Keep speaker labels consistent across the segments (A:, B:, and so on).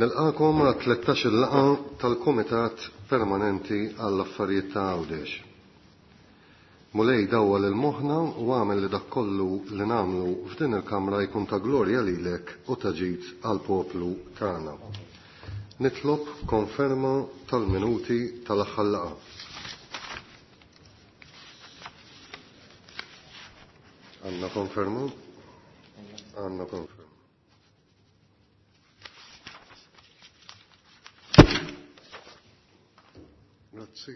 A: Nilqakom għat 13-il laqgħa tal-Kumitat Permanenti għall-Affarijiet ta' Għawdex. Mulej, dawwal il-moħħna u agħmel li dak kollu li nagħmlu f'din il-kamra jkun ta' glorja lilek u ta' ġid għall-poplu tagħna. Nitlob konferma tal-minuti tal-aħħar laqgħa. Għandna konferma? Għandna konferma. Grazzi.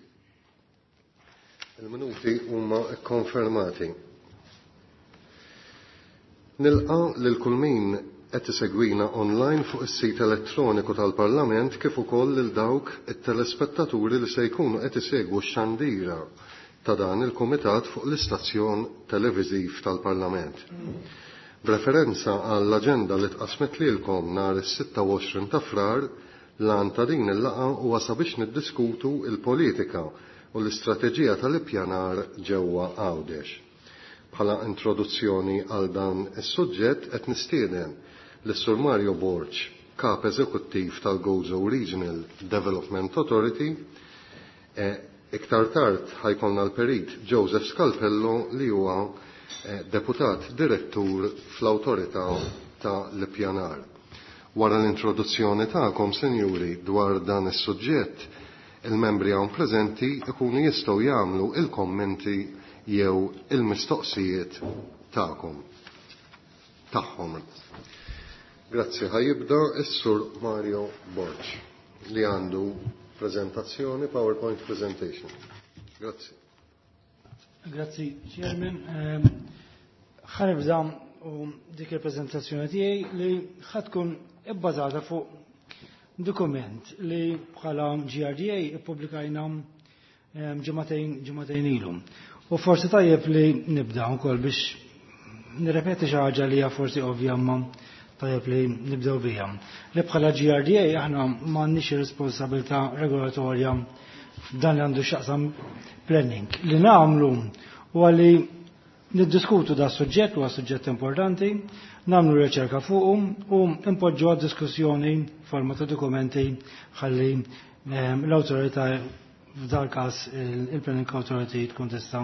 A: Il-minuti huma kkonfermati. Nilqa lil kull min qed isegwina online fuq is-sit elettroniku tal-Parlament kif ukoll lil dawk it-telespettaturi li se jkunu qed isegwu x-xandira ta' dan il-Kumitat fuq l-istazzjon televiżiv tal-Parlament. B'referenza għall-aġenda li tqassmet lilkom nhar is-26 ta' Frar, l-għan ta' din il-laqgħa huwa sabiex niddiskutu l-politika u l-istrateġija tal-ippjanar ġewwa Għawdex. Bħala introduzzjoni għal dan is-suġġett qed nistieden lis-Sur Mario Borg, Kap Eżekuttiv tal-Gozo Regional Development Authority, iktar tard ħajkollna l-Perit Joseph Scalpello li huwa Deputat Direttur fl-Awtorità ta' l-Ippjanar. Wara l-introduzzjoni tagħkom, sinjuri, dwar dan is-suġġett, il-membri hawn preżenti ikunu jistgħu jagħmlu il-kommenti jew il-mistoqsijiet tagħkom. Tagħhom. Grazzi, ħajibda s-Sur Mario Borg li għandu prezentazzjoni, PowerPoint presentation. Grazzi.
B: Grazzi, Chairman. Ħa nibda u dik il-prezentazzjoni tiegħi li ħa tkun ibbażata fuq dokument li bħala GRDA ippubblikajna ġimagħtejn ilu. U forsi tajjeb li nibda wkoll biex nirrepeti xi ħaġa li hija forsi ovvja imma tajjeb li nibdew biha. Li bħala GRDA aħna m'għandniex responsabilità regolatorja f'dan li għandu x'jaqsam planning. Li nagħmlu huwa li niddiskutu da suġġett, huwa suġġett importanti, nagħmlu riċerka fuqu u impoġġu għad diskussjoni forma ta' dokumenti ħalli l-awtorità, f'dal każ il-Planning Authority, tkun tista'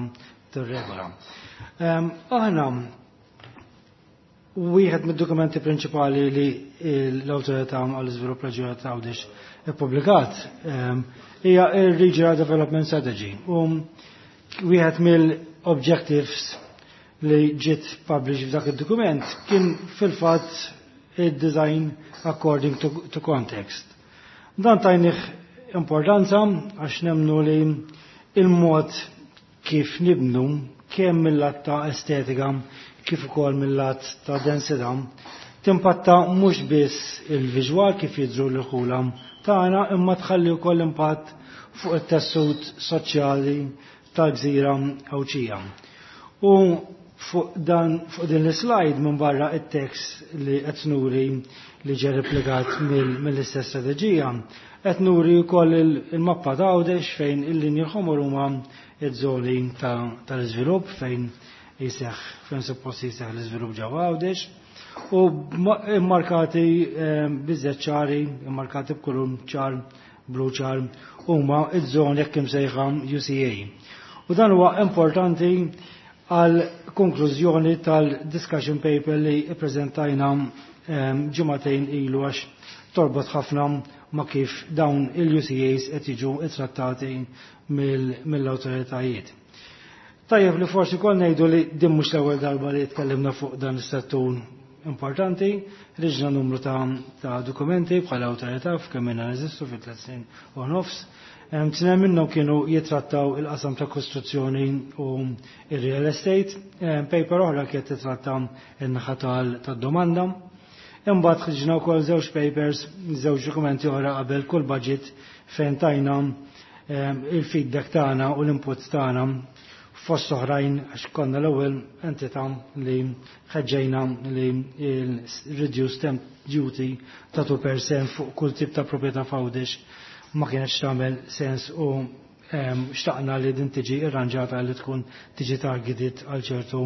B: tirregola. Aħna wieħed mid-dokumenti prinċipali li l-Awtorità għall-Iżvilupp Reġjonali ta' Għawdex ippubblikat hija il-Regional Development Strategy. U wieħed mill-objectives li ġiet published f'dak id-dokument kien fil-fatt il-design according to context. Dan tajnih importanza għax nemnu li il-mod kif nibnu, kemm mill-lat ta' estetika kif ukoll mill-lat ta' densità, timpatta mhux biss il-viżwal kif jidhru l-ħula tagħna, imma tħalli wkoll impatt fuq it-tessut soċjali tal-gżira Għawdxija. U fuq din l-slide, minn barra it-tekst li qed nuri li ġie replikat mill-istess strateġija, qed nuri wkoll il-mappa ta' Għawdex fejn il-linji ħomor huma iż-żoni tal-iżvilupp fejn suppost jiseħ l-iżvilupp ġewwa Għawdex u immarkati biżżejjed ċari, immarkati b'kulur ċar, blu ċar, huma iż-żoni jekk imsejħa UCA. U dan huwa importanti għal konklużjoni tal-discussion paper li ppreżentajna ġimagħtejn ilu, għax torbot ħafna ma' kif dawn il-UCAs qed jiġu trattati mill-awtoritajiet. Tajjeb li forsi kol ngħidu li din mhux l-ewwel darba li tkellimna fuq dan is-settur importanti, ħriġna numru ta' dokumenti bħala awtorità f'kemm ilna neżistu fi 3 snin u nofs. Tnejn minnhom kienu jitrattaw il-qasam ta' kostruzzjoni u il-real estate, paper oħra kienet titratta n-naħa tad-domanda. Imbagħad ħriġna wkoll żewġ papers, żewġ dokumenti oħra qabel kull budget fejn tajna il-feedback tagħna u l-input tagħna, fost oħrajn għax konna l-ewwel entità li ħeġġejna li il-reduced stamp duty ta' 2% fuq kull tip ta' proprjetà f'Għawdex ma kienx tagħmel sens u xtaqna li din tiġi irranġata li tkun tiġi targeted għal ċertu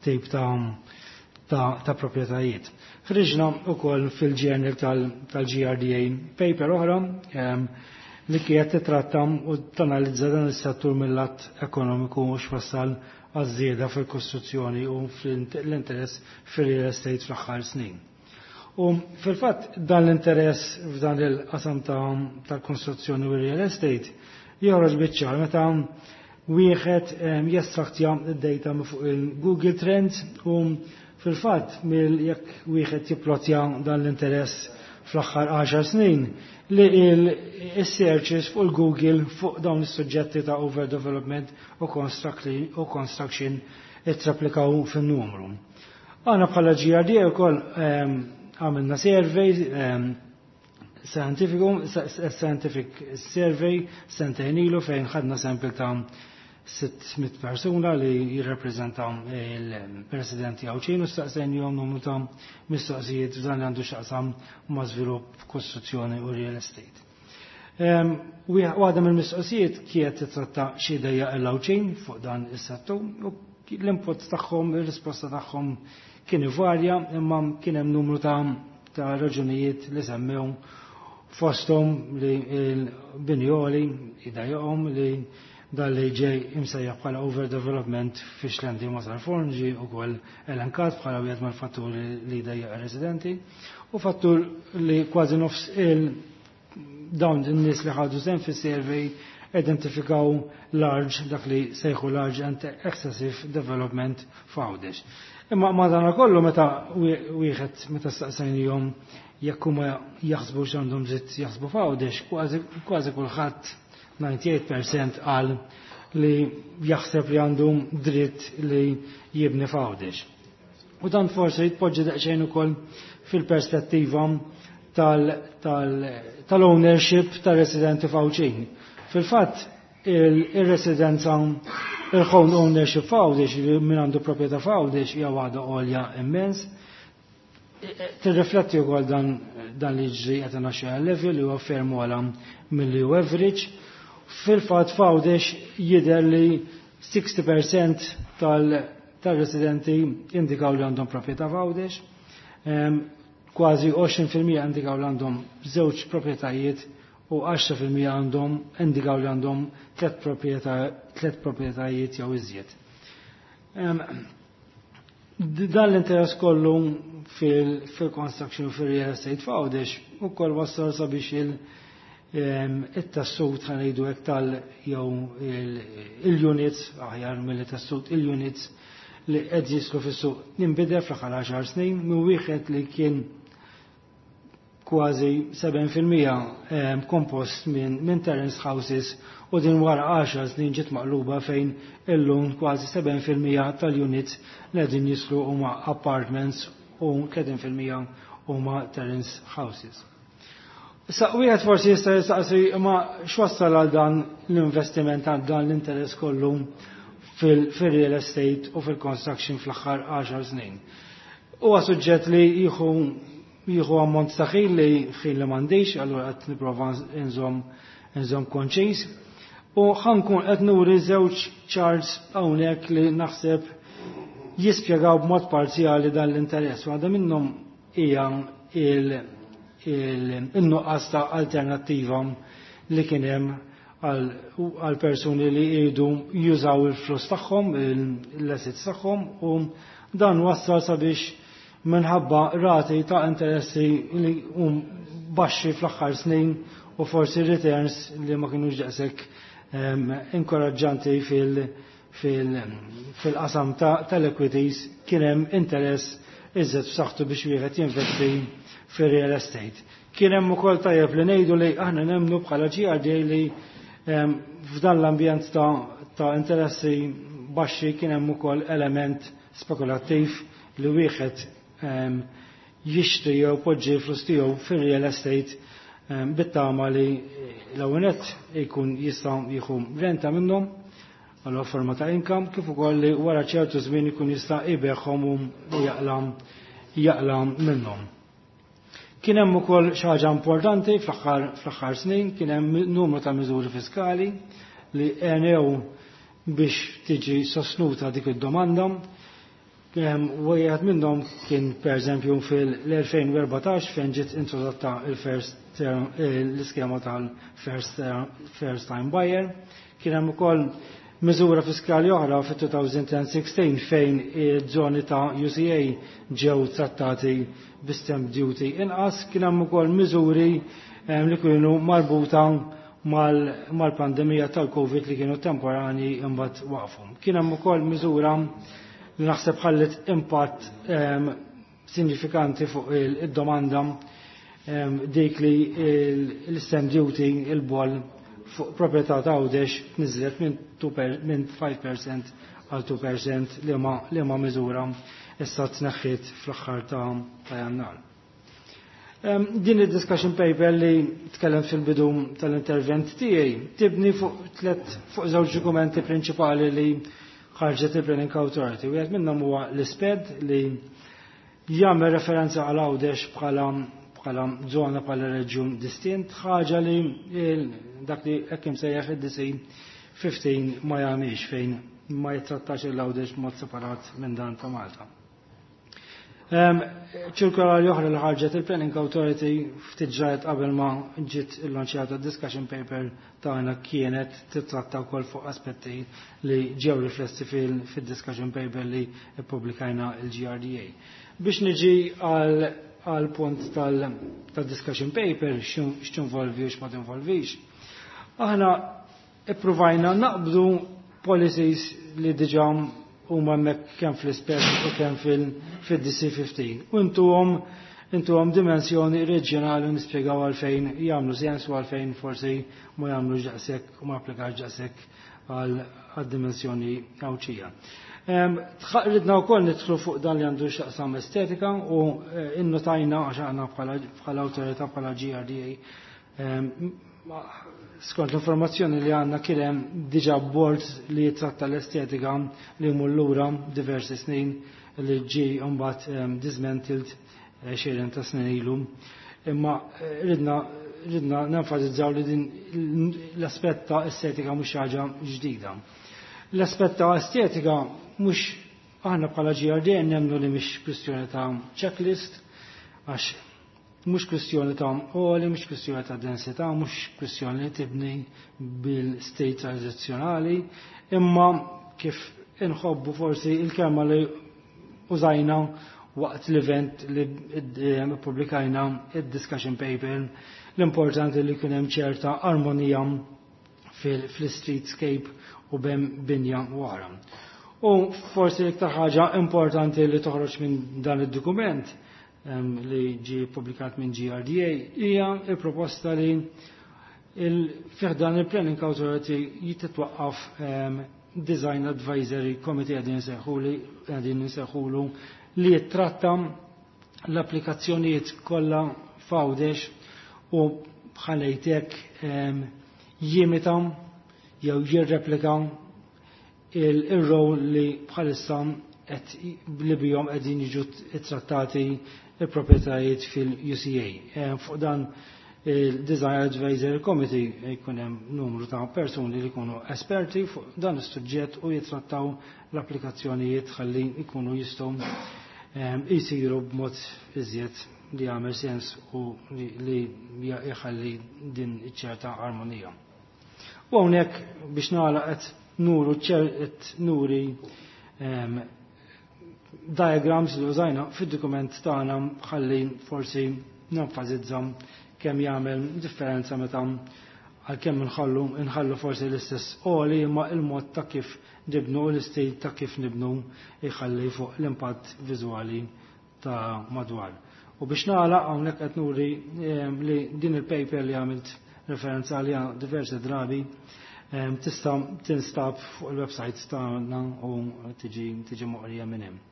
B: tip ta' ta' proprjetajiet. Ħriġna wkoll fil-journal tal-GRDA paper oħra li kienet titratta u tanalizza dan is-settur mill-lat ekonomiku u x'wassal għaż-żieda fil-kostruzzjoni u fl-interess fil-real estate fl-aħħar snin. U fil-fatt dan l-interess f'dan il-qasam tal-kostruzzjoni u real estate joħroġ biċ-ċar meta wieħed jestraktja d-data fuq il-Google Trends u fil-fatt mill jekk wieħed jipplotja dan l-interess fl-aħħar 10 snin li il-searches fuq il-Google fuq dawn is-suġġetti ta' overdevelopment u construction ittraplikaw fin-numru. Aħna bħala GRD ukoll għamilna survey scientific survey sentejn ilu fejn ħadna sample ta' 600 persuna li jirrepreżentaw il-presidenti Għawdxin u staqsejnihom numru ta' mistoqsijiet f'dan li għandu x'jaqsam ma' żvilupp, kostruzzjoni u real estate. Waħda mill-mistoqsijiet kienet titratta xi dejja l-Għawdxin fuq dan is-settur u l-input tagħhom, ir-risposta tagħhom kien varja, imma kien hemm numru ta' raġunijiet li semmew, fosthom li l-bini għoli jdejjaqhom, li dan li ġej imsejjaħ bħala overdevelopment fi Xlendi, Marsalforn ġie ukoll elenkat bħala wieħed mal-fatturi li jdejjaq residenti u fattur li kważi nofs il dawn in-nies li ħadu sehem fis-survey identifikaw large, dak li sejħu large and excessive development f'Għawdex. Imma madana kollu meta wieħed meta staqsejnihom jekk huma jaħsbu x'għandhom dritt jaħsbu f'Għawdex, kważi kulħadd, 98%, qal li jaħseb li għandu dritt li jibni f'Għawdex. U dan forsi jitpoġġi daqsxejn ukoll fil-perspettiva tal-ownership tal-residenti f'Għawdxin. Fil-fatt, il-residenza, il-home ownership f'Għawdex, min għandu proprjetà f'Għawdex, hija waħda għolja immens. Tirrifletti wkoll dan li ġri at a national level li huwa ferm ogħla milli hu average. Fil-fatt f'Għawdex jidher li 60% tal-residenti indikaw li għandhom proprjetà f'Għawdex. Kważi 20% indikaw li għandhom żewġ proprjetajiet u 10% għandhom indikaw li għandhom tliet proprjetajiet jew iżjed. Dan l-interess kollu fil-construction, fil-real estate f'Għawdex ukoll wassal sabiex il-tessut, ħa ngħidu hekk, tal jew il-units, aħjar mill-tessut, il-units li qed jidħlu fis-suq inbidel fl-aħħar 10 snin minn wieħed li kien kważi 7% kompost minn terrace houses u din wara 10 snin ġiet maqluba fejn illum kważi 7% tal-units li qegħdin jidħlu huma apartments u 30% huma terrace houses. Issa wieħed forsi jista' jistaqsi, ma x'wassal għal dan l-investiment, għal dan l-interess kollu fil-real estate u fil-construction fl-aħħar 10 snin? Huwa suġġett li jieħu ammont ta' ħin li ħin li m'għandix, allura qed nipprova nżomm konċis. U ħa nkun qed nuri żewġ charts hawnhekk li naħseb jispjegaw b'mod parzjali dan l-interess. Waħda minnhom hija il-nuqqas ta' alternattiva li kien hemm għal persuni li jridu jużaw il-flus tagħhom, l-assets tagħhom, u dan wassal sabiex minħabba rati ta' interessi li hum baxxi fl-aħħar snin u forsi returns li ma kienux daqshekk inkoraġġanti fil-qasam tal-equities, kien hemm interess iżjed b'saħħtu biex wieħed jinvesti fir-real estate. Kien hemm ukoll, tajjeb li ngħidu li aħna nemmnu bħala GRD li f'dan l-ambjent ta' interessi baxxi kien hemm ukoll element spekulattiv li wieħed jixtri jew poġġi flus tiegħu fir-real estate bit-tama li l-ewwel jkun jista' jieħu renta minnhom għal forma ta' income, kif ukoll li wara ċertu żmien ikun jista' jbigħhom u jaqla' minnhom. Kien hemm ukoll xi ħaġa importanti fl-aħħar snin, kien hemm numru ta' miżuri fiskali li għenew biex tiġi sostnuta dik id-domanda. Wieħed minnhom kien pereżempju fil-2014 fejn ġiet introdotta il-first l-iskema tal-first first time buyer. Kien hemm ukoll miżura fiskali oħra fit-2016 fejn iż-żoni ta' UCA ġew trattati bi stamp duty inqas. Kien hemm ukoll miżuri li kienu marbuta mal-pandemija tal-Covid li kienu temporani imbagħad waqfu. Kien hemm ukoll miżura li naħseb ħallet impatt sinifikanti fuq id-domanda, dik li l-stamp duty, il-boll fuq proprjetà ta' Għawdex tniżlet minn 5% għal 2%, li ma miżura issa tneħħiet fl-aħħar ta' Jannar. Din id-discussion paper li tkellem fil-bidu tal-intervent tiegħi tibni fuq żewġ dokumenti prinċipali li ħarġet il-Planning Authority. Wieħed minnhom huwa l-ISPED li jagħmel referenza għal Għawdex bħala żona, bħala reġjun distint, ħaġa li dak li hekk imsejjaħ id-DC 15 ma jagħmilx, fejn ma jittrattax il-Għawdex b'mod separat minn dan ta' Malta. Ċirkolari oħra li ħarġet il-Planning Authority ftit ġrajet qabel ma ġiet illanċjata discussion paper tagħna kienet titratta wkoll fuq aspetti li ġew riflessi fil-discussion paper li ppubblikajna il-GRDA. Biex niġi għal punt tal-discussion paper, x'tinvolvi u x'ma tinvolvix. Aħna ippruvajna naqbdu policies li diġà huma hemmhekk kemm fl-ISPED u kemm fil-DC15. U intuhom dimensjoni reġjonali u nispjegaw għalfejn jagħmlu sens u għalfejn forsi ma jagħmlux daqshekk u ma applikax daqshekk għal dimensjoni Għawdxija. Ridna wkoll nidħlu fuq dan li għandu x'jaqsam estetika u innotajna, għax aħna bħala awtorità, bħala GRDA, skont l-informazzjoni li għandna kien hemm diġà board li jitratta l-estetika li jmur lura diversi snin, li ġi mbagħad dismantled 20 ta' snin ilu. Imma ridna nenfasizzaw li din l-aspett ta' estetika mhux ħaġa ġdida. L-aspett ta' estetika mhux, aħna bħala GRD nemmnu li mhix kwistjoni ta' checklist, għax mhux kwistjoni ta' għoli, mhux kwistjoni ta' densità, mhux kwistjoni li tibni bil-state tradizzjonali, imma kif inħobbu forsi il-kelma li użajna waqt l-event li publikajna id-discussion paper, l-importanti li kien hemm ċerta armonija fil-streetscape u bejn binja wara. U forsi l-iktar ħaġa importanti li toħroġ minn dan id-dokument li ġi publikat minn GRDA hija il-proposta li fi ħdan il-Planning Authority jitwaqqaf Design Advisory Committee, qegħdin nsejħulu, li jittratta l-applikazzjonijiet kollha f'Għawdex u bħalejtek jimita jew jirreplika il-rol li bħalissa li bihom qegħdin jiġu trattati il-proprjetajiet fil-UCA. Fuq dan il-Design Advisory Committee jkun hemm numru ta' persuni li jkunu esperti fuq dan is-suġġett u jitrattaw l-applikazzjonijiet ħalli jkunu jistgħu jisiru b'mod iżjed li jagħmel sens u li jħalli din iċ-ċerta armonija. U hawnhekk biex nagħlaq qed nuri diagrams li użajna fid-dokument tagħna ħalli forsi nenfasizza kemm jagħmel differenza meta għalkemm nħallu forsi l-istess għoli, imma il-mod ta' kif nibnu, l-istil ta' kif nibnu jħalli fuq l-impatt viżwali ta' madwar. U biex nagħlaq, hawnhekk qed nuri li din il-paper li għamilt referenza għaliha diversi drabi tista' tinstab fuq il-website tagħna u tiġi moqrija minn hemm.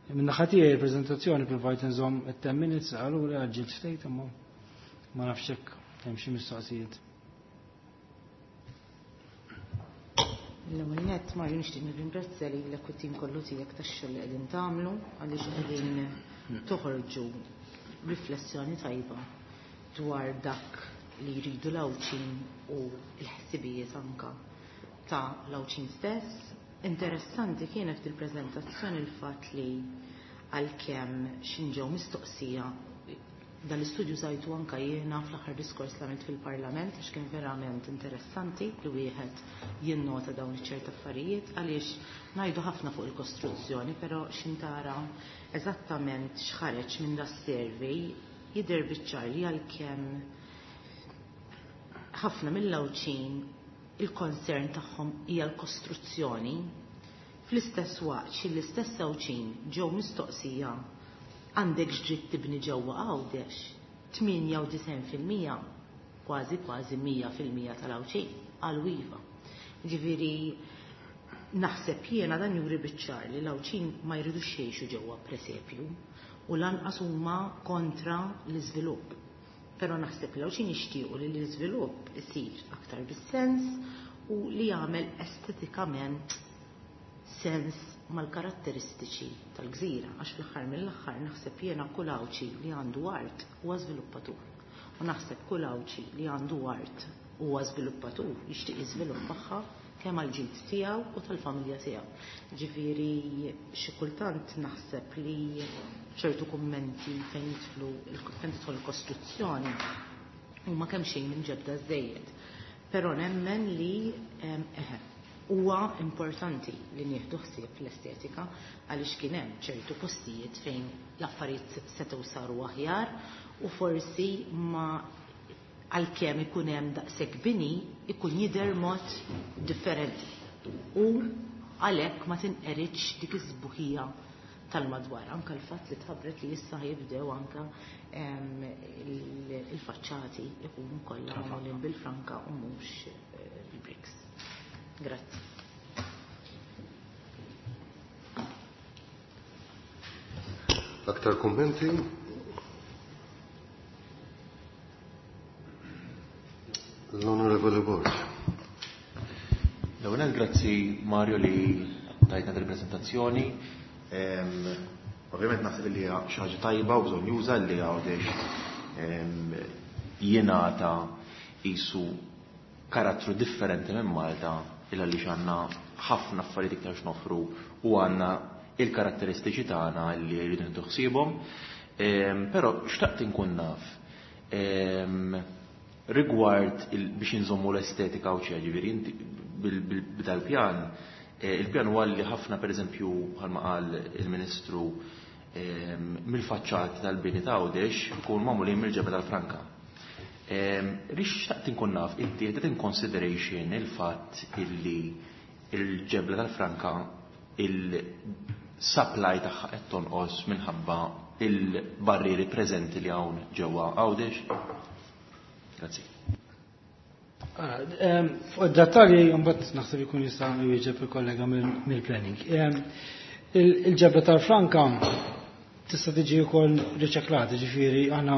B: Minn naħa tiegħi il-preżentazzjoni provajt nżomm it-10 minutes, għalura għaġġilt ftit, imma ma nafx hekk hemm xi mistoqsijiet.
C: L-ewwel nett, Mario, nixtieq nirringrazzja lilek u tim kollu tiegħek tax-xogħol li qegħdin tagħmlu, għaliex qegħdin toħorġu riflessjoni tajba dwar dak li jridu l-Għawdxin u l-ħsibijiet anka ta' l-Għawdxin stess. Interessanti kienet il-preżentazzjoni l-fatt li għalkemm x'inġew mistoqsija dan l-istudju żajtu anka jiena fl-aħħar diskors li għamilt fil-Parlament għax kien verament interessanti li wieħed jinnota dawn iċ-ċert affarijiet għaliex ngħidu ħafna fuq il-kostruzzjoni, però x'intara eżattament x'ħareġ minn da survey jidher biċ-ċar li għalkemm ħafna mill-Għawdxin il-concern tagħhom hija l-kostruzzjoni, fl-istess waqt xi l-istess Għawdxin ġew mistoqsija għandek x'dritt tibni ġewwa Għawdex, 98% kważi kważi 100% tal-Għawdxin qalu iva. Ġifieri naħseb jiena dan juri biċ-ċar li l-Għawdxin ma jridux jgħixu ġewwa presepju u lanqas huma kontra l-iżvilupp. Però naħseb li l-Għawdxin jixtiequ li l-iżvilupp isir aktar bis-sens u li jagħmel estetikament sens mal-karatteristiċi tal-gżira, għax fl-aħħar mill-aħħar naħseb jiena kull Għawdxi li għandu art huwa żviluppatur. U naħseb kull Għawdxi li għandu art huwa żviluppatur jixtieq jiżviluppaha kemm għall-ġid tiegħu u tal-familja tiegħu. Ġifieri xi kultant naħseb li ċertu kummenti fejn jidħlu fejn tidħol il-kostruzzjoni huma kemm xejn imġebda żejjed. Però nemmen li eħe huwa importanti li nieħdu ħsieb l-estetika għaliex kien hemm ċertu postijiet fejn l-affarijiet setgħu saru aħjar u forsi ma għalkemm ikun hemm daqshekk bini ikun jidher mod differenti. U għalhekk ma tinqeridx dik is-sbuħija tal-madwar. Anka l-fatt li tħabbret li issa jibdew anka il-faċċati ikunu kollha magħmulin bil-franka u mhux bil-bricks. Grazzi.
A: Aktar kummenti? L-Onorevole Borg.
D: L-ewwel grazzi Mario li tajtna il-prezentazzjoni. Ovvjament naħseb li hija xi ħaġa tajba u bżonn juża li Għawdex jingħata qisu karattru differenti minn Malta illa li għandna ħafna affarijiet iktar x'noffru u għandna il-karatteristiċi tagħna li rridu nieħdu ħsiebhom. Però xtaqt inkun naf rigward biex inżommu l-estetika u ċe, ġifieri inti b'dal-pjan, il-pjan huwa li ħafna pereżempju bħalma qal il-Ministru mill-faċċati tal-bini ta' Għawdex ikun magħmulin mill-ġebel tal-Franka. Rix xtaqt inkun naf inti qed in consideration il-fatt illi il-ġebla tal-Franka il-supply tagħha qed tonqos minħabba il-barrieri preżenti li hawn ġewwa Għawdex? Grazzi.
B: Fuq id-dettalji mbagħad naħseb ikun jista' jwieġeb il-kollega mill-planning. Il-ġebla tal-Franka tista' tiġi wkoll riċeklata, ġifieri aħna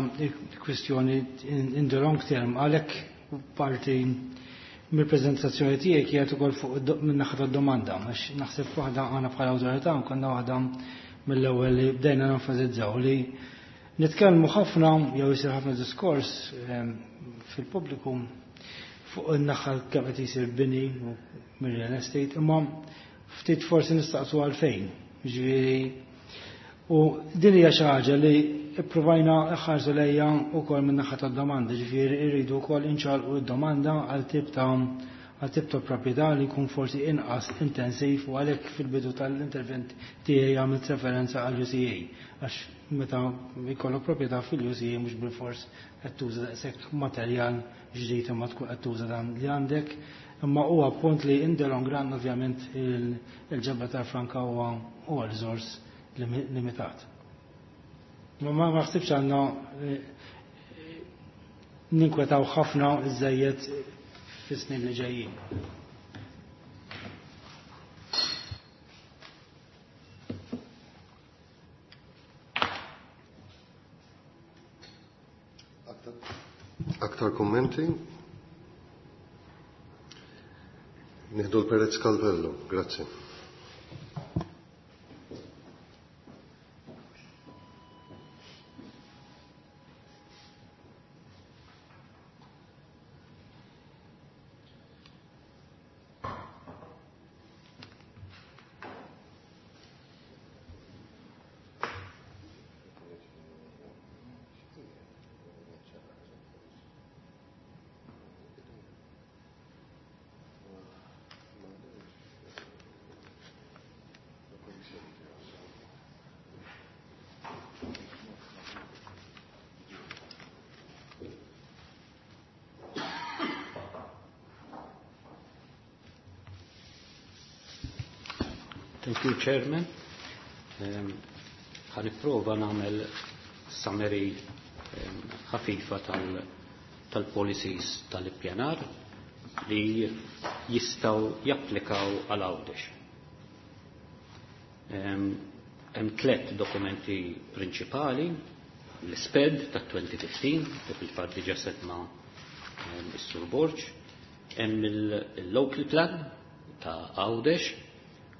B: kwistjoni in the long term għalhekk parti mill-preżentazzjoni tiegħi kienet ukoll fuq min-naħa tad-domanda, għax naħseb waħda aħna bħala awtorità konna waħda mill-ewwel li bdejna nenfasizzaw li nitkellmu ħafna jew isir ħafna diskors fil-pubbliku fuq in-naħa kemm qed isir bini mir-real estate, imma ftit forsi nistaqsu għalfejn. Ġifieri u din hija xi ħaġa li ippruvajna ħarsu lejja wkoll min-naħa tad-domanda, ġifieri rridu wkoll inċalqu d-domanda għal tip ta' proprjetà li jkun forsi inqas intensiv u għalhekk fil-bidu tal-intervent tiegħi għamilt referenza għal UCA għax meta jkollok proprjetà fil-UCA mhux bilfors qed tuża daqshekk materjal ġdid imma tkun qed tuża dan li għandek. Imma huwa punt li in the long run ovvjament il-ġebla tal-franka huwa riżors limitat. Ma ma ħsibx għandna ninkwetaw ħafna iżejjed fis-snin li ġejjin.
A: Aktar kommenti? Nieħdu l-Perez Calvello, grazzi.
E: Thank you, Chairman. Ħa nipprova nagħmel summary ħafifa tal-policies tal-ippjanar li jistgħu japplikaw għal Għawdex. Hemm tliet dokumenti prinċipali: l-SPED ta' 2015, li fil-fatt diġà semma is-Sur Borg, hemm il-local plan ta' Għawdex,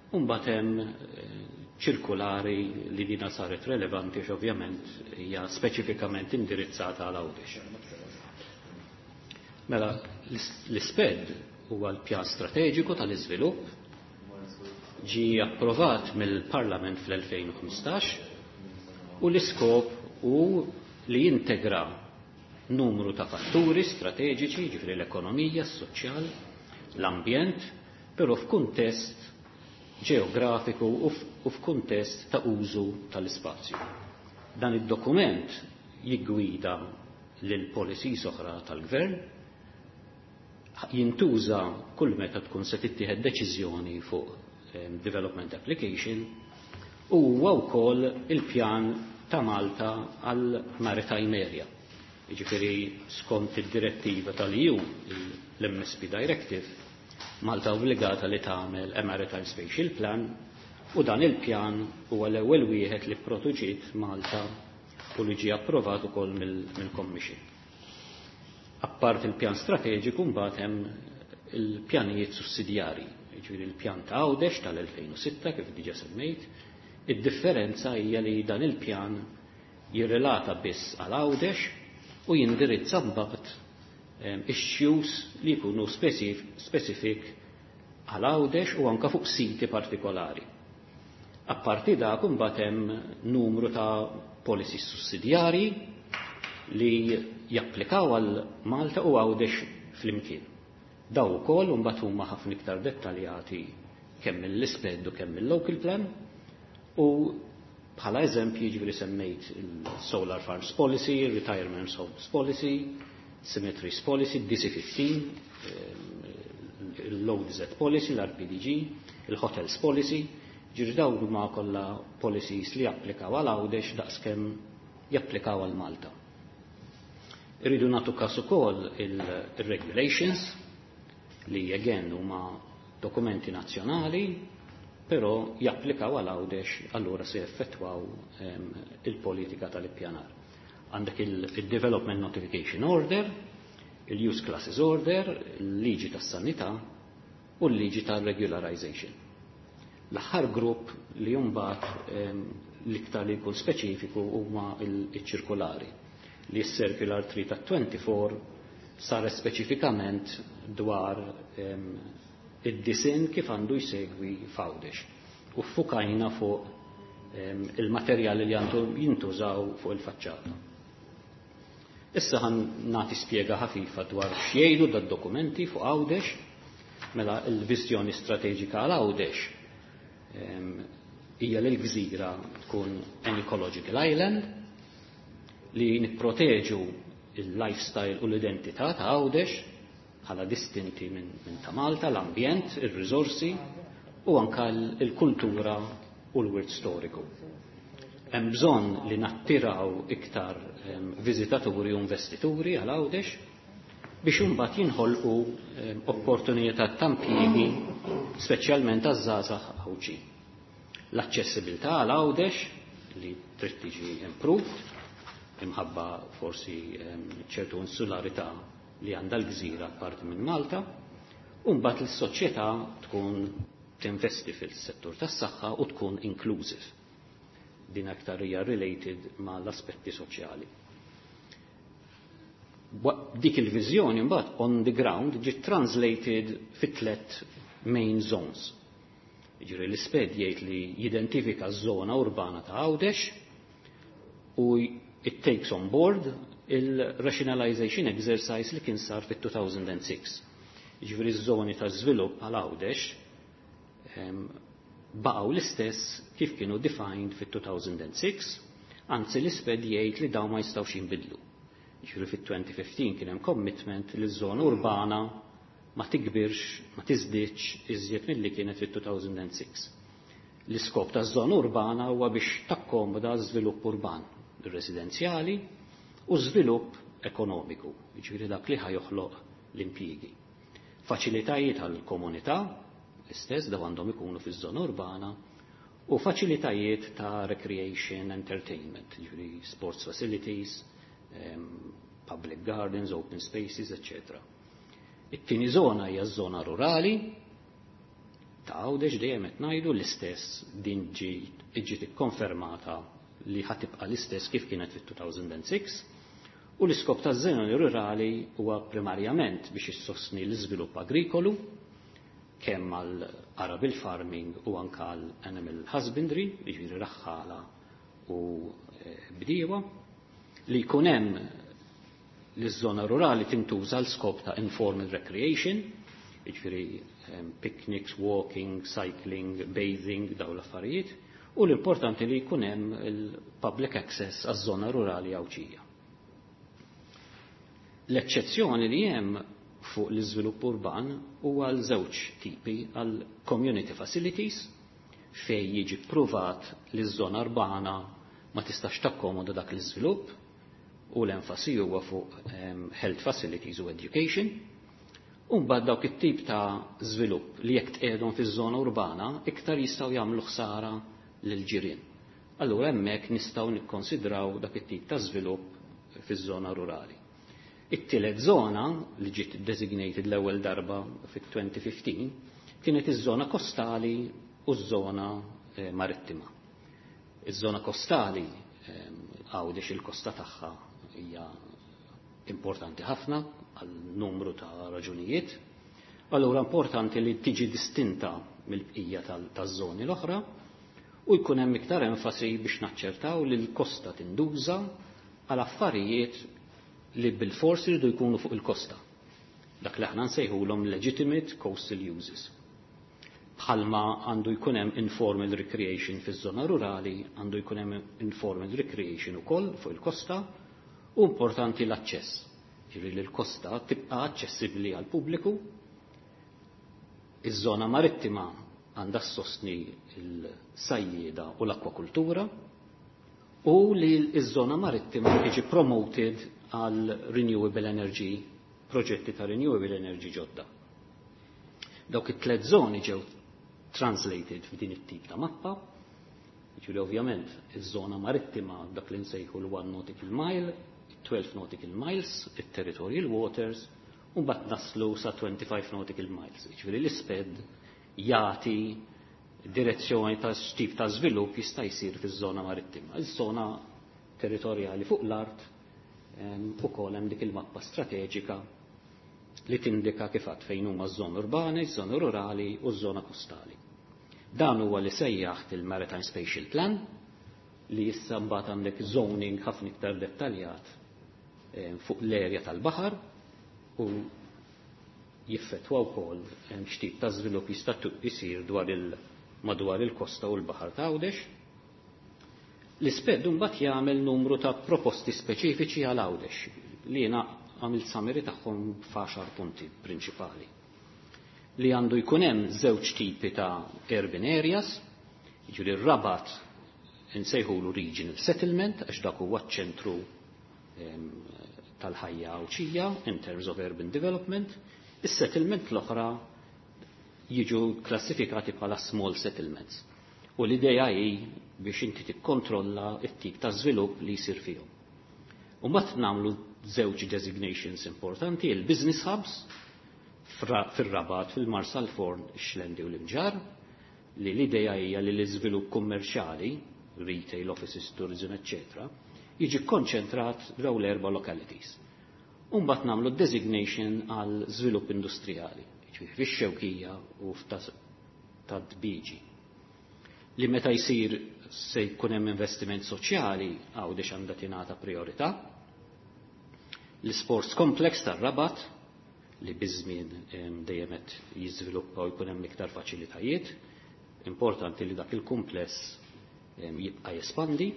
E: u mbagħad hemm ċirkulari li dina saret relevanti għax ovvjament hija speċifikament indirizzata għal Għawdex. Mela, l-SPED huwa l-pjan strateġiku tal-iżvilupp, ġi approvat mill-Parlament fl-2015 u l-iskop hu li jintegra numru ta' fatturi strateġiċi, ġifieri l-ekonomija, s-soċjal, l-ambjent, però f'kuntest ġeografiku u f'kuntest ta' użu tal-ispazju. Dan id-dokument jiggwida lil policies oħra tal-gvern, jintuża kull meta tkun se tittieħed deċiżjoni fuq development application u huwa wkoll il-pjan ta' Malta għal Maritime Area. Jiġifieri skont id-direttiva tal-EU, l-MSP Directive, Malta obbligata li tagħmel a Maritime Spatial Plan u dan il-pjan huwa l-ewwel wieħed li pproduċiet Malta u li ġie approvat ukoll mill-Commission. Apart il-pjan strateġiku, mbagħad hemm il-pjanijiet sussidjarji, jiġifieri il-pjan ta' Għawdex tal-2006, kif diġà semmejt. Id-differenza hija li dan il-pjan jirrelata biss għal Għawdex u jindirizza mbagħad issues li jkunu specific għal Għawdex u anka fuq siti partikolari. Apparti dak, imbagħad hemm numru ta' policies sussidjarji li japplikaw għal Malta u Għawdex flimkien. Daw ukoll mbagħad huma ħafna iktar dettaljati kemm mill-SPED u kemm mill-local plan, u bħala eżempji, ġifieri semmejt il-Solar Farms Policy, Retirement Homes Policy, Cemeteries Policy, DC15, il-Load Z Policy, l-RPDG, il-Hotels Policy, ġifieri dawn huma kollha policies li japplikaw għal Għawdex daqskemm japplikaw għal Malta. Irridu nagħtu każ ukoll il-regulations li again huma dokumenti nazzjonali, però japplikaw għal Għawdex, allura se effettwaw il-politika tal-ippjanar. Għandek il-Development Notification Order, il-Use Classes Order, il-liġi tas-sanità u l-liġi tal-regularization. L-aħħar grupp li mbagħad l-iktar li jkun speċifiku huma il-ċirkolari, li s-Circular 3 ta' 24 saret speċifikament dwar id-disinn kif għandu jsegwi f'Għawdex. U fukajna fuq il-materjali li għandu jintużaw fuq il-faċċata. Issa ħa nagħti spjega ħafifa dwar x'jgħidu dad-dokumenti fuq Għawdex. Mela, il-viżjoni strateġika għal Għawdex hija li l-gżira tkun an ecological island, li nipproteġu il-lifestyle u l-identità ta' Għawdex bħala distinti minn ta' Malta, l-ambjent, il-risorsi u anka l-kultura u l-wirt storiku. Hemm bżonn li nattiraw iktar viżitaturi u investituri għal Għawdex biex imbagħad jinħolqu opportunità ta' impjiegi, speċjalment għaż-żgħażagħ Għawdxin. L-aċċessibilità għal Għawdex li trid tiġi improved imħabba forsi ċertu insularità li għandha l-gżira parti minn Malta, u mbagħad l-soċjetà tkun tinvesti fil-settur tas-saħħa u tkun inclusive. Din aktar hija related ma' l-aspetti soċjali. Dik il-viżjoni mbagħad on the ground ġiet translated fit tlet main zones. Jiġifieri l-SPED jgħid li jidentifika ż-żona urbana ta' Għawdex u it takes on board il-rationalization exercise li kien sar fit-2006. Jiġifieri ż-żoni ta' żvilupp għal Għawdex baqgħu l-istess kif kienu defined fit-2006, anzi l-SPED jgħid li dawn ma jistgħux jinbidlu. Jiġifieri fit-2015 kien hemm commitment li ż-żona urbana ma tikbirx, ma tiżdiedx iżjed milli kienet fit-2006. L-iskop taż-żona urbana huwa biex takkomoda żvilupp urban, residenzjali u żvilupp ekonomiku, jiġifieri dak li ħa joħloq l-impjiegi. Faċilitajiet għall-komunità, l-istess daw għandhom ikunu fiż-żona urbana, u faċilitajiet ta' recreation, entertainment, jiġifieri sports facilities, public gardens, open spaces, etc. It-tieni żona hija ż-żona rurali, ta' Għawdex dejjem qed ngħidu l-istess din ġiet ikkonfermata li ħa tibqa' l-istess kif kienet fit-2006 u l-iskop taż-żona rurali huwa primarjament biex issostni l-iżvilupp agrikolu kemm għal arable farming u anka għal animal husbandry, jiġifieri raħħala u bdiewa, li jkun hemm li ż-żona rurali tintuża l skop ta' informal recreation, jiġifieri picnics, walking, cycling, bathing, daw l-affarijiet, u l-importanti li jkun hemm il-public access għaż-żona rurali Għawdxija. L-eċċezzjoni li hemm fuq l-iżvilupp urban huwa għal żewġ tipi għal community facilities fej jiġi pruvat li ż-żona urbana ma tistax takkomoda dak l-iżvilupp u l-enfasi huwa fuq health facilities u education. U mbagħad dawk it-tip ta' żvilupp li jekk tqiegħdhom fiż-żona urbana iktar jistgħu jagħmlu ħsara lil ġirien. Allura hemmhekk nistgħu nikkonsidraw dak it-tip ta' żvilupp fiż-żona rurali. It-tielet żona li ġiet designated l-ewwel darba fit-2015 kienet iż-żona kostali u ż-żona marittima. Iż-żona kostali, Għawdex il-kosta tagħha hija importanti ħafna għal numru ta' raġunijiet. Allura importanti li tiġi distinta mill-bqija taż-żoni l-oħra u jkun hemm iktar enfasi biex naċċertaw li l-kosta tinduża għal affarijiet li bil-fors iridu jkunu fuq il-kosta. Dak li aħna nsejħulhom legitimate coastal uses. Bħalma għandu jkun hemm informal recreation fiż-żona rurali, għandu jkun hemm informal recreation ukoll fuq il-kosta u importanti l-aċċess. Ġifieri li l-kosta tibqa' aċċessibbli għal pubbliku. Iż-żona marittima għandha ssostni l-sajjieda u l-akwakultura u li ż-żona marittima tiġi promoted għal renewable energy, proġetti ta' renewable energy ġodda. Dawk it-tlet żoni ġew translated f'din it-tip ta' mappa. Ġifieri ovvjament iż-żona marittima dak li nsejħu l-1 nautical mile, 12 nautical miles, it-territorial waters, u mbagħad naslu sa 25 nautical miles. Ġifieri l-ISPED jagħti direzzjoni ta' x'tip ta' żvilupp jista' jsir fiż-żona marittima. Iż-żona territorjali fuq l-art ukoll hemm dik il-mappa strateġika li tindika kif għad fejn huma ż-żoni urbani, ż-żoni rurali u ż-żona kostali. Dan huwa li sejjaħt il-Maritime Spatial Plan li issa mbagħad għandek zoning ħafna iktar dettaljat fuq l-erja tal-baħar u jiffettwa wkoll x'tip ta' żvilupp jista' jsir dwar il madwar il-kosta u l-baħar ta' Għawdex. L-ISPED mbagħad jagħmel numru ta' proposti speċifiċi għal Għawdex li jiena għamilt summary tagħhom f'għaxar punti prinċipali. Li għandu jkun hemm żewġ tipi ta' urban areas, jiġifieri r-Rabat insejħulu regional settlement għax dak huwa ċ-ċentru tal-ħajja Għawdxija in terms of urban development, is-settlement l-oħra jiġu klassifikati bħala small settlements. U l-idea hi biex inti tikkontrolla t-tip ta' żvilupp li jsir fihom. U mbagħad nagħmlu żewġ designations importanti, il-business hubs fir-Rabat, fil-Marsalforn, ix-Xlendi u l-Imġar, li l-idea hija li l-iżvilupp kummerċjali, retail, offices, tourism, etc., jiġi konċentrat daw l-erba' localities. U mbagħad nagħmlu designation għal żvilupp industrijali, jiġifieri fix-Xewkija u Ta' Dbiġi. Li meta jsir se jkun hemm investiment soċjali, Għawdex għandha tingħata priorità. L-sports complex tar-Rabat li biż-żmien dejjem qed jiżviluppa u jkun hemm iktar faċilitajiet. Importanti li dak il-kumpless jibqa' jespandi.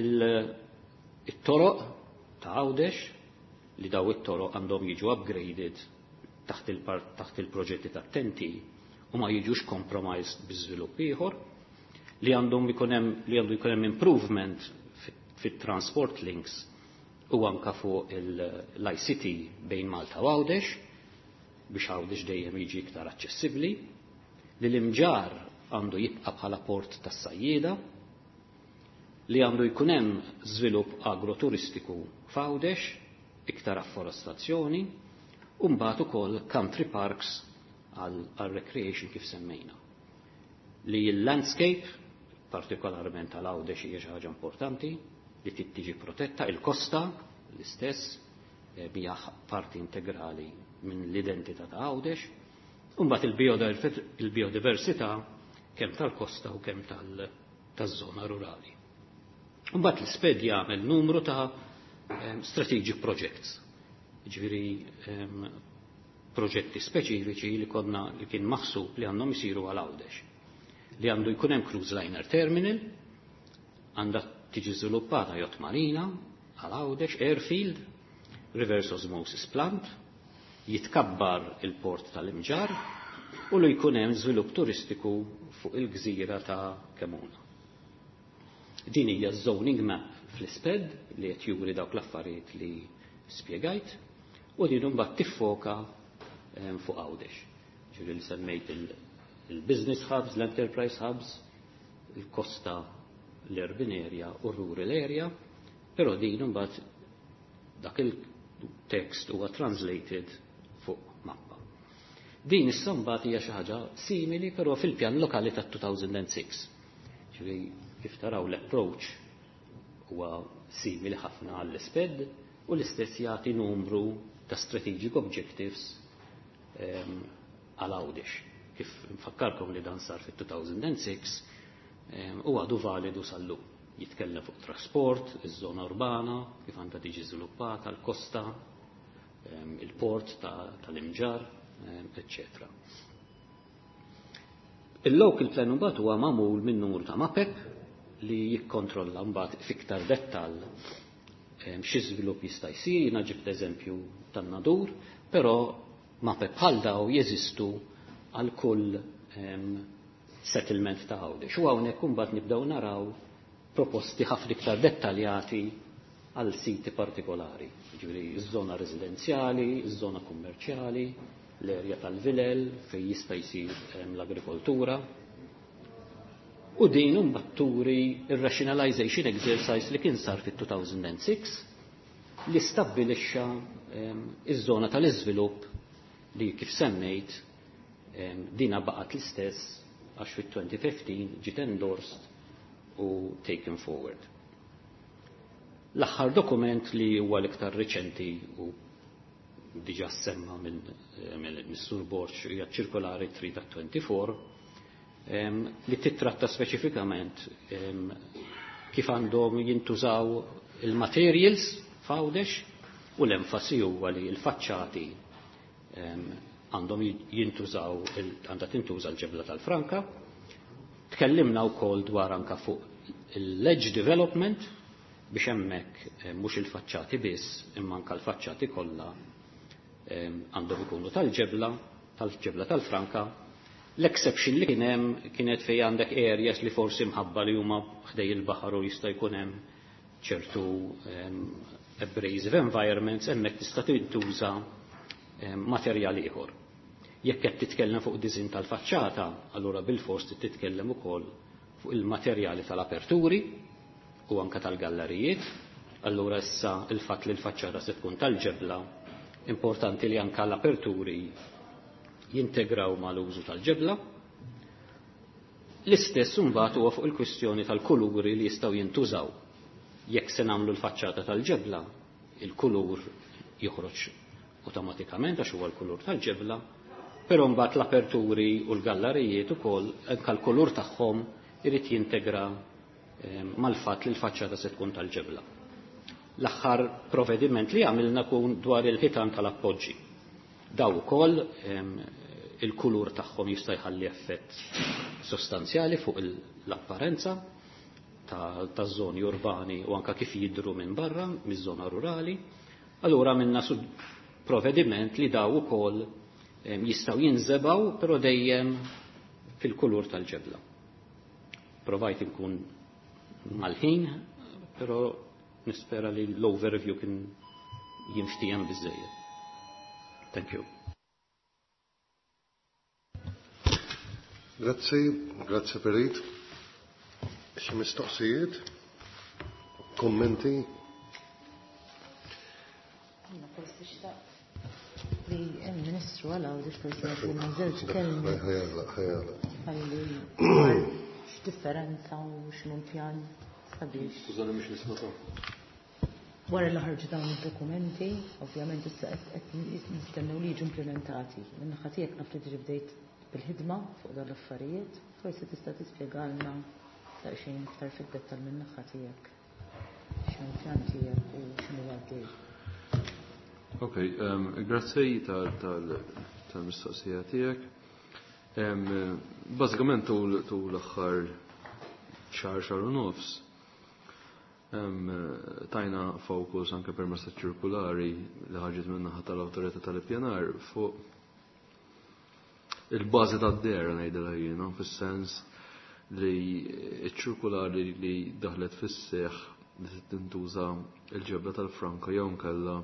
E: Il-toroq ta' Għawdex li daw it-toroq għandhom jiġu upgraded taħt il-proġetti ta' TEN-T. u ma jiġux compromised bi żvilupp ieħor, li għandhom ikun hemm li għandu jkun hemm improvement fit-transport links u anka fuq l-ICT bejn Malta u Għawdex biex Għawdex dejjem jiġi iktar aċċessibbli, li l-Imġarr għandu jibqa' bħala port tas-sajjieda, li għandu jkun hemm żvilupp agroturistiku f'Għawdex, iktar afforestazzjoni, u mbagħad ukoll country parks għal recreation kif semmejna. Li l-landscape, partikolarment għal Għawdex, hija xi ħaġa importanti li trid tiġi protetta, il-kosta l-istess hija parti integrali minn l-identità ta' Għawdex, u mbagħad il-biodiversità kemm tal-kosta u kemm taż-żona rurali. Mbagħad l-SPED jagħmel numru ta' strategic projects, ġifieri proġetti speċifiċi li konna li kien maħsub li għandhom isiru għal Għawdex. Li għandu jkun hemm cruise liner terminal, għandha tiġi żviluppata yacht marina għal Għawdex, airfield, reverse osmosis plant, jitkabbar il-port tal-Imġarr u li jkun hemm żvilupp turistiku fuq il-gżira ta' Kemuna. Din hija zoning map fl-SPED li qed juri dawk l-affarijiet li spjegajt u din imbagħad tiffoka fuq Għawdex. Ġifieri li semmejt il-business hubs, l-enterprise hubs, il-kosta, l-urban area u rural area, però din imbagħad dak il-text huwa translated fuq mappa. Din issa mbagħad hija xi ħaġa simili, però fil-pjan lokali tat-2006. Ġifieri kif taraw, l-approach huwa simili ħafna għall-SPED u l-istess jagħti numru ta' strategic objectives għal Għawdex. Kif nfakkarkom li dan sar fit-2006 u għadu validu sal-lum. Jitkellem fuq trasport, iż-żona urbana, kif għandha tiġi żviluppata, l-kosta, il-port tal-Imġarr, eccetera. Il-local plan mbagħad huwa magħmul minn numru ta' mapep li jikkontrolla mbagħad fiktar dettall xi żvilupp jista' jsir. Jiena ġibt eżempju tan-Nadur, però mapep bħal daw jeżistu għal kull settlement ta' Għawdex. U hawnhekk imbagħad nibdew naraw proposti ħafna iktar dettaljati għal siti partikolari. Ġifieri iż-żona residenzjali, iż-żona kummerċjali, l-erja tal-vilel fejn jista' jsir l-agrikoltura. U din imbagħad turi ir-rationalization exercise li kien sar fit-2006 li stabbilixxa iż-żona tal-iżvilupp li, kif semmejt, dina baqgħet l-istess għax fit-2015 ġiet endorsed u taken forward. L-aħħar dokument, li huwa l-iktar riċenti u diġa semma minn Mr. Borg, hija ċirkolari 3 ta' 24 li titratta speċifikament kif għandhom jintużaw il-materials f'Għawdex, u l-enfasi huwa li l-faċċati għandhom jintużaw, għandha tintuża l-ġebla tal-franka. Tkellimna wkoll dwar anka fuq il-ledge development biex hemmhekk mhux il-faċċati biss, imma anka l-faċċati kollha għandhom ikunu tal-ġebla, tal-ġebla tal-franka. L-exception li kien hemm kienet fejn għandek areas li forsi mħabba li huma ħdej il-baħar u jista' jkun hemm ċertu abrasive environments, hemmhekk tista' tintuża materjal ieħor. Jekk qed titkellem fuq design tal-faċċata, allura bil-fors titkellem ukoll fuq il-materjali tal-aperturi u anka tal-gallerijiet. Allura issa il-fatt li l-faċċata se tkun tal-ġebla, importanti li anka l-aperturi jintegraw mal-użu tal-ġebla. L-istess imbagħad huwa fuq il-kwistjoni tal-kuluri li jistgħu jintużaw. Jekk se nagħmlu l-faċċata tal-ġebla, il-kulur joħroġ awtomatikament għax huwa l-kulur tal-ġebla, però mbagħad l-aperturi u l-gallerijiet ukoll, anke l-kulur tagħhom irid jintegra mal-fatt li l-faċċata se tkun tal-ġebla. L-aħħar provvediment li għamilna kun dwar il-ħitan tal-appoġġi. Daw ukoll il-kulur tagħhom jista' jħalli effett sostanzjali fuq l-apparenza taż-żoni urbani u anka kif jidru minn barra, miż-żona rurali. Allura minna provvediment li daw ukoll jistgħu jinżebgħu, però dejjem fil-kulur tal-ġebla. Provajt inkun mal-ħin, però nispera li l-overview kien jinftiehem biżżejjed. Thank you.
A: Grazzi, grazzi Perit. Xi mistoqsijiet? Kommenti?
C: Jiena forsi xtaqt li il-Ministru għal Għawdex forsi jagħtina żewġ kelmiet.
A: Ħajala, ħajala.
C: Ħalli x'differenza u x'inhu l-pjan sabiex.
D: Skużani mhux nisma'
C: Wara li ħarġu dawn id-dokumenti, ovvjament issa qed nistennew li jiġu implimentati. Min-naħa tiegħek naf li diġà bdejt bil-ħidma fuq dawn l-affarijiet, forsi tista' tispjegalna daqsxejn iktar fid-dettall min-naħa tiegħek x'inhu l-pjan tiegħek u x'inhu għaddej.
F: Ok, grazzi tal-mistoqsija tiegħek. Bażikament tul l-aħħar xahar xahar u nofs tajna fokus anke permezz ċirkulari li ħarġet min-naħa tal-Awtorità tal-Ippjanar fuq il-bażi tad-dehra ngħidilha jiena fis-sens li ċ-ċirkulari li daħlet fis-seħħ li tintuża l-ġebla tal-franka jew inkella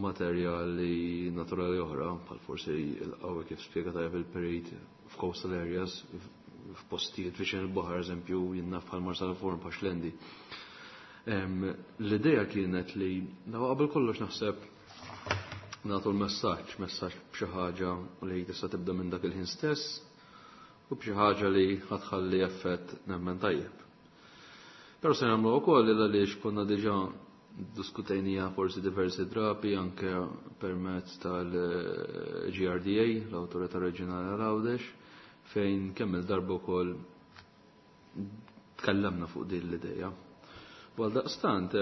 F: materjali naturali oħra, bħal forsi l-qawwi kif spjega tajjeb il-perit f'coastal areas, f'postijiet viċin il-baħar, eżempju, jien naf bħal Marsalforn bħal Xlendi. L-idea kienet li daw qabel kollox naħseb nagħtu l-messaġġ, messaġġ b'xi ħaġa li tista' tibda minn dak il-ħin stess u b'xi ħaġa li ħatħalli effett nemmen tajjeb. Però se nagħmlu wkoll għaliex konna diġà diskutejnija forsi diversi drabi anke permezz tal-GRDA, l-Awtorità Reġjonali għal Għawdex, fejn kemm il-darba wkoll tkellemna fuq din l-idea. U għaldaqstant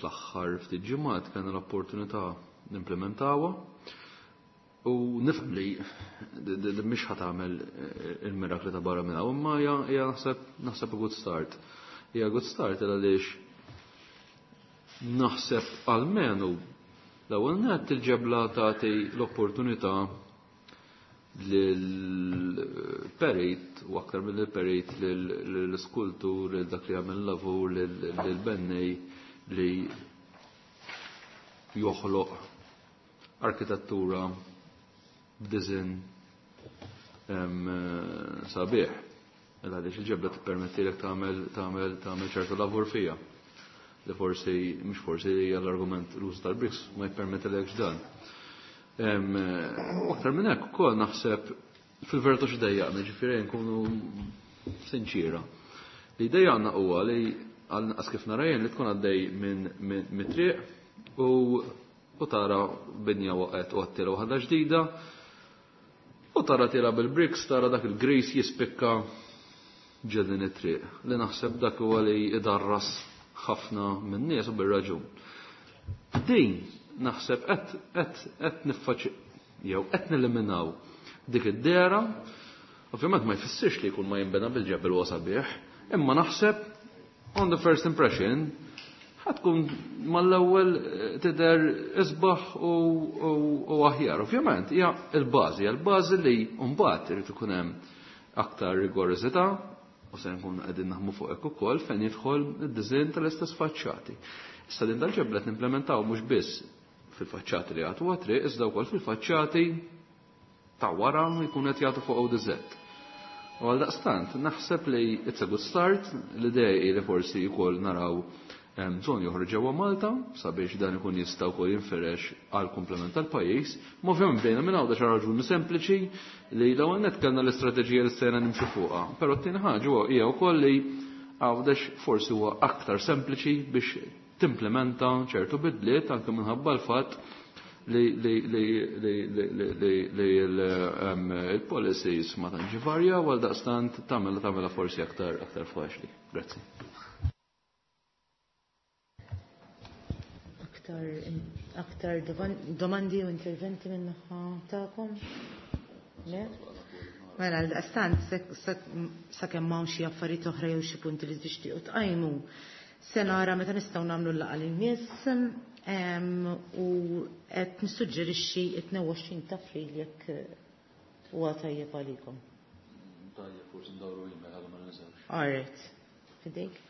F: fl-aħħar ftit ġimgħat kellna l-opportunità nimplementawha u nifhem li mhix ħa tagħmel il-mirakli ta' barra minn hawn, imma hija naħseb a good start. Hija good start għaliex naħseb almenu l-ewwel nett il-ġebla tagħti l-opportunità lill-perit u aktar mill-perit lill-skultur, lil dak li jagħmel lavur, lill-bennej li joħloq arkitettura b'design sabiħ. Għaliex il-ġebla tippermettilek tagħmel ċertu lavur fija. Li forsi, mhux forsi hija l-argument l-użu tal-bricks ma jippermettilekx dan. U aktar minn hekk ukoll naħseb fil-verità x'dejjaqna, ġifieri nkunu sinċira. Li dejjaqna huwa li għal kif nara jien li tkun għaddej minn mit-triq u tara binja waqgħet u għattila waħda ġdida u tara tira bil-bricks, tara dak il-gris jispikka ġedin it-triq. Li naħseb dak huwa li idarras ħafna minn nies u bir-raġun. Din naħseb qed niffaċi jew qed neliminaw dik id-dehra. Ovvjament ma jfissirx li jkun ma jinbena bil-ġebel huwa sabiħ, imma naħseb on the first impression ħatkun mal-ewwel tidher isbaħ u aħjar. Ovvjament hija l-bażi, hija l-bażi li mbagħad irid ikun hemm aktar rigorożità u se nkun qegħdin naħdmu fuq hekk ukoll fejn jidħol id-diżinn tal-istess faċċati. Issa din tal-ġebla qed nimplementaw mhux biss fil-faċċati li jagħtu għat-triq, iżda wkoll fil-faċċati ta' wara jkun qed jagħtu fuq ODZ. U għal daqstant, naħseb li it's a good start, l-idea hi li forsi wkoll naraw żoni oħra ġewwa Malta sabiex dan ikun jista' wkoll jinferex għal komplement tal-pajjiż. Ma ovvjament bdejna minn hawn xi raġuni sempliċi li l-ewwel nett kellna l-istrateġija li sejna nimxu fuqha. Però t-tieni ħaġa hija wkoll li Għawdex forsi huwa aktar sempliċi biex timplementa ċertu bidliet anke minħabba l-fatt li il-policies ma tantx varja u għal daqstant tagħmilha forsi aktar faċli. Grazzi.
C: Aktar domandi u interventi minn naħa tagħkom? Le? Mela, għal-daqstant, sakemm m'hawn xi affarijiet oħra jew xi punti li tixtiequ tqajmu, se nara meta nistgħu nagħmlu l-laqgħa lil nies u qed nissuġġerixxi 22 ta' April jekk Huwa tajjeb għalikom.
F: Tajjeb, forsi ndawru email ħalli ma ninsewx.
C: All right. Fidejk.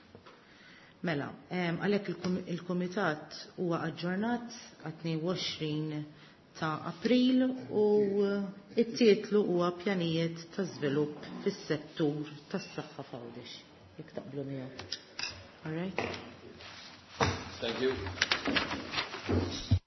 C: Mela, għalhekk il-kumitat huwa aġġornat għat-22 ta' April u it-titlu huwa pjanijiet ta' żvilupp fis-settur tas-saħħa f'Għawdex. Jekk taqblu miegħu. All right?
F: Thank you.